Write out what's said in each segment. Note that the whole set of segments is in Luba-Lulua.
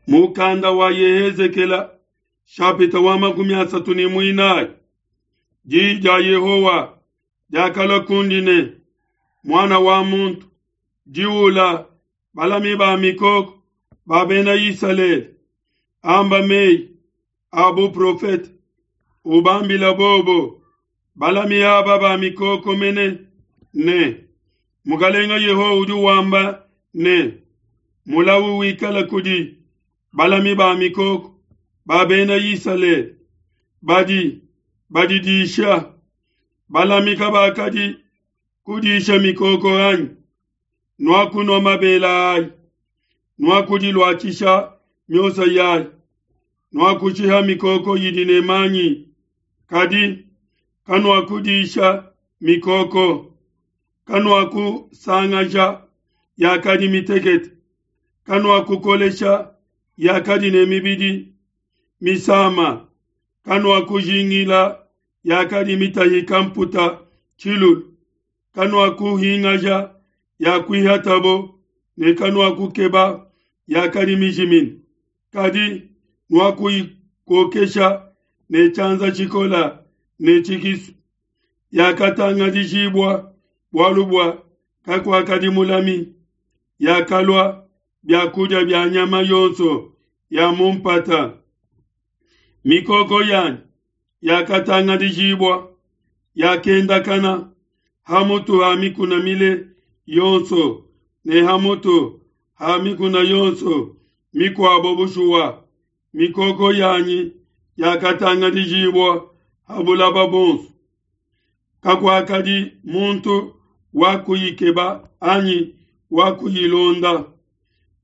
Mukanda wa Yehezekela shapita wa 34. Diyi dia Yehowa diakalua kundi ne, Muana wa muntu, diula balami ba mikoko ba bena Isalele, amba meyi a buprofete, ubambila bobo balami aba ba mikoko mene ne, Mukalenga Yehowa udi wamba ne, Mulawu wikala kudi balami ba mikoko ba bena Isalele badi badidisha. Balami kabakadi kudisha mikoko anyi? Nuakunua mabele ayi, nuakudiluatshisha miosa yayi, nuakushiha mikoko idi ne manyi, kadi kanuakudisha mikoko. Kanuakusangaja yakadi mitekete, kanuakukolesha yakadi ne mibidi misama, kanuakujingila yakadi mitahika mputa tshilulu, kanuakuhingaja yakuihatabo ne kanuakukeba yakadi mijimine, kadi nuakuyikokesha ne tshianza tshikola ne tshikisu. Yakatangadijibua bualu bua kakuakadi mulami, yakalua biakudia bia nyama yonso ya mu mpata. Mikoko yanyi yakatangadijibua, yakendakana ha mutu ha mikuna mile yonso ne ha mutu ha mikuna yonso mikuabo. Bushuwa, mikoko yanyi yakatangadijibua ha bulaba buonso, kakuakadi muntu wa kuyikeba anyi wa kuyilonda.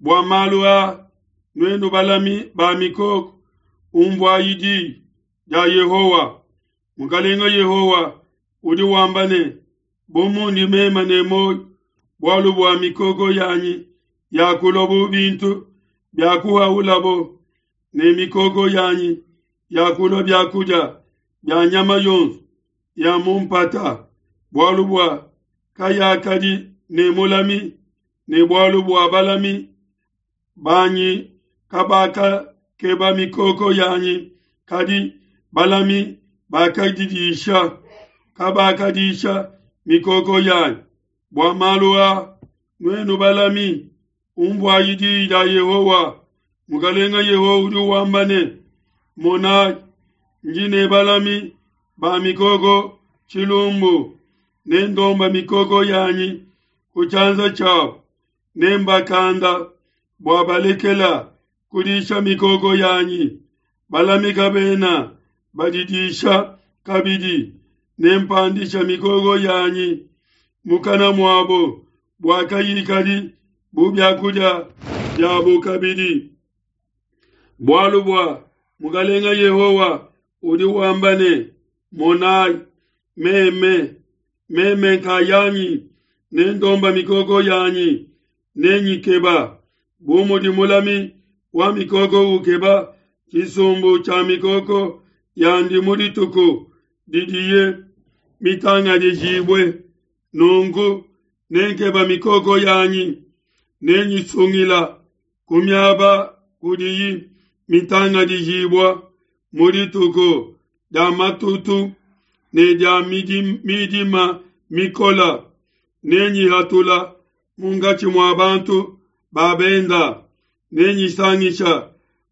Bua malu aa, nuenu balami ba mikoko, umvuayi diyi dia Yehowa. Mukalenga Yehowa udi wamba ne, Bu mundi meme ne muoyo, bualu bua mikoko yanyi yakulua bu bintu biakuhaulabo, ne mikoko yanyi yakulua biakudia bia nyama yonso ya mu mpata, bualu bua kayakadi ne mulami, ne bualu bua balami banyi kabakakeba mikoko yanyi, kadi balami bakadidisha, kabakadisha mikoko yanyi. Bua malu a, nuenu balami, umvuayi diyi dia Yehowa. Mukalenga Yehowa udi wamba ne, Monayi, ndi ne balami ba mikoko tshilumbu, nendomba mikoko yanyi ku tshianza tshiabu, nembakanda bua balekela kudisha mikoko yanyi. Balami kabena badidisha kabidi, nempandisha mikoko yanyi mukana muabo bua kayikadi bu biakudia biabo kabidi. Bualu bua Mukalenga Yehowa udi wamba ne, Monayi, meme, meme nkayanyi nendomba mikoko yanyi, nenyikeba, bu mudi mulami wa mikoko ukeba tshisumbu tshia mikoko yandi mu dituku didiye mitangadijibue. Nunku nenkeba mikoko yanyi, nenyisungila ku miaba kudiyi mitangadijibua mu dituku dia matutu ne dia midima mikola, nenyihatula munkatshi mua bantu ba benda, nenyisangisha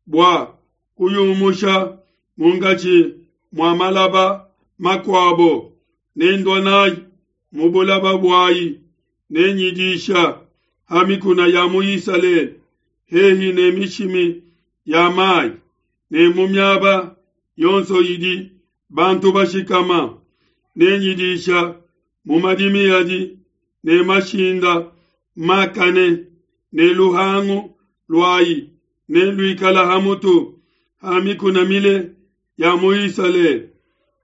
bua kuyumusha munkatshi mua malaba makuabo, nendua nayi mu bulaba buayi, nenyidisha ha mikuna ya mu Isalele, hehi ne mishimi ya mai, ne mu miaba yonso idi bantu bashikama, nenyidisha mu madimi adi ne mashinda makane, ne luhangu luayi neluikala ha mutu ha mikuna mile ya mu Isalele,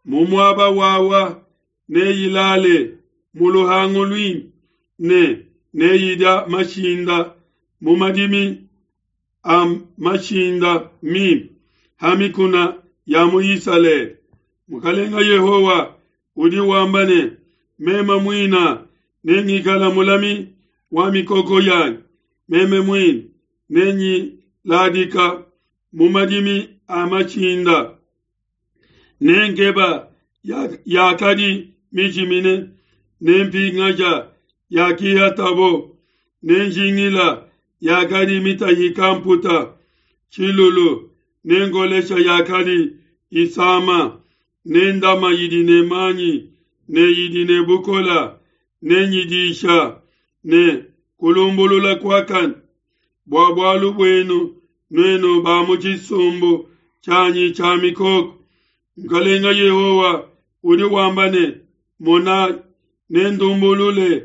mu muaba wawa neyilale mu luhangu luimpe, ne neyidia mashinda mu madimi a mashinda mimpe ha mikuna ya mu Isalele. Mukalenga Yehowa udi wamba ne, Meme muina nengikala mulami wa mikoko yanyi, meme muine nenyi. ladika mu madimi a mashinda, ne nkeba yakadi mijimine, ne mpingaja yakihatabo, ne njingila yakadi mitahika mputa tshilulu, ne ngolesha yakadi isama, ne ndama yidi ne manyi ne yidi ne bukola, ne nyidisha ne kulumbulula kuakane. Bua bualu buenu nuenu ba mu tshisumbu tshianyi tshia mikoko, Mukalenga Yehowa udi wamba ne, Monayi, nendumbulule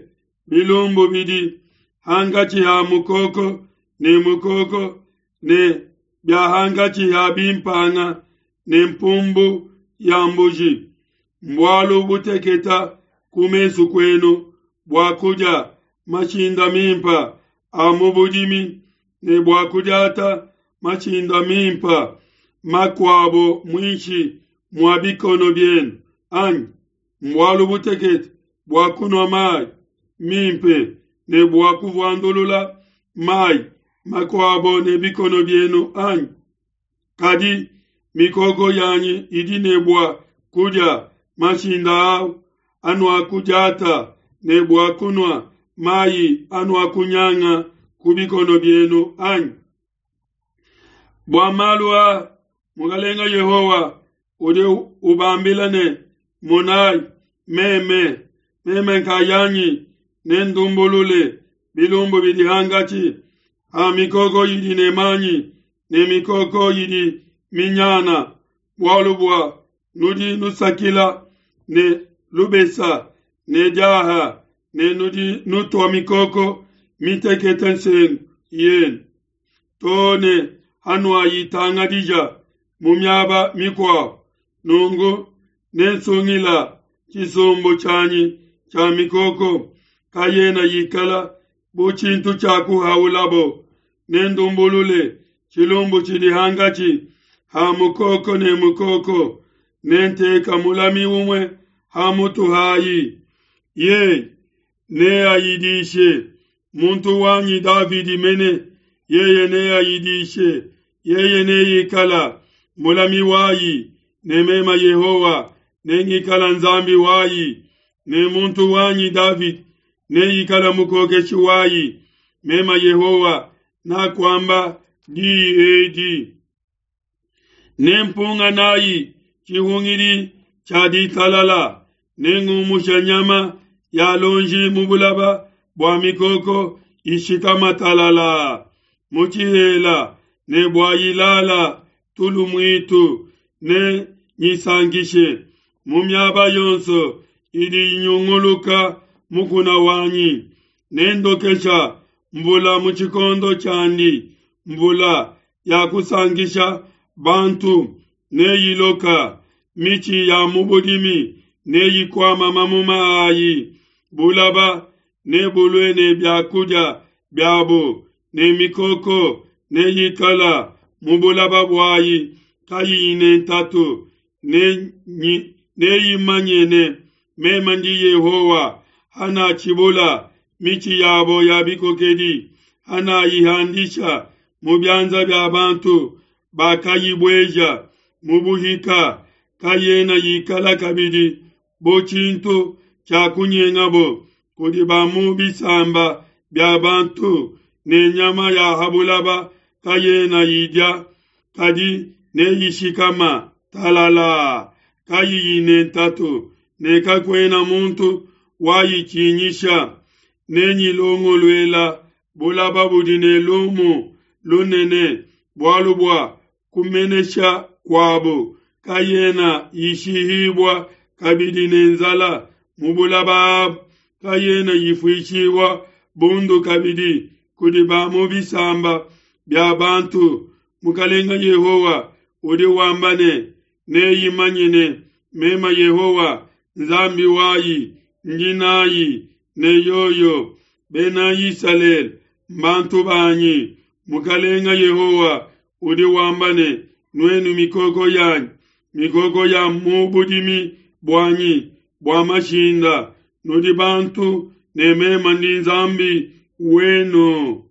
bilumbu bidi hankatshi ha mukoko ne mukoko, ne bia hankatshi ha bimpanga ne mpumbu ya mbuji. Mbualu buteketa ku mesu kuenu bua kudia mashinda mimpa a mu budimi ne bua kudiata mashinda mimpa makuabo muinshi mua bikono bienu, anyi? Mbualu butekete bua kunua mayi mimpe ne bua kuvuandulula mayi makuabo ne bikono bienu, anyi? Kadi mikoko yanyi idi ne bua kudia mashinda au anuakudiata ne bua kunua mayi anuakunyanga ku bikono bienu, anyi? Bua malu aa Mukalenga Yehowa udi ubambila ne, Monayi, meme, meme nkayanyi nendumbulule bilumbu bidi hankatshi ha mikoko idi ne manyi ne mikoko idi minyana, bualu bua nudi nusakila ne lubesa ne diaha ne nudi nutua mikoko mitekete nsengu yenu too ne hanuayitangadija mu miaba mikuabo. Nunku nensungila tshisumbu tshianyi tshia mikoko, kayena yikala bu tshintu tshia kuhaulabo. Nendumbulule tshilumbu tshidi hankatshi ha mukoko ne mukoko, nenteka mulami umue ha mutu hayi. Yeye neayidishe muntu wanyi Davidi mene, yeye neayidishe, yeye neikala mulami wayi, ne mema Yehowa nengikala Nzambi wayi, ne muntu wanyi Davidi neikala mukokeshi wayi. Mema Yehowa nakuamba diyi edi. Nempunga nayi tshihungidi tshia ditalala, nengumusha nyama ya lonji mu bulaba bua mikoko ishikama talala mu tshihela ne bua ilala tulu muitu, ne nyisankishe mu miaba yonso idi inyunguluka mukuna wanyi. Nendokesha mvula mu tshikondo tshiandi, mvula ya kusankisha bantu neyiloka, mitshi ya mu budimi neyikuama mamuma ayi, bulaba nebulue ne biakudia biabo, ne mikoko neyikala mu bulaba buayi kayiyi ne ntatu, neyimanye ne meme ndi Yehowa, hanatshibula mitshi yabo ya bikokedi, hanayihandisha mu bianza bia bantu bakayibueja mu buhika, kayena yikala kabidi bu tshintu tshia kunyengabo kudi ba mu bisamba bia bantu, ne nyama ya ha bulaba kayena yidia, kadi neyishikama talala, kayiyi ne ntatu, ne kakuena muntu wayitshinyisha. Nenyilongoluela bulaba budi ne lumu lunene, bualu bua kumenesha kuabo kayena yishihibua kabidi ne nzala mu bulaba abu, kayena yifuishibua bundu kabidi kudi ba mu bisamba bia bantu. Mukalenga Yehowa udi wamba ne, neyimanye ne mema Yehowa Nzambi wayi ndi nayi ne yoyo. Bena Isalele mbantu banyi. Mukalenga Yehowa udi wamba ne, nuenu mikoko yanyi, mikoko ya mu budimi buanyi bua mashinda, nudi bantu ne mema ndi Nzambi wenu.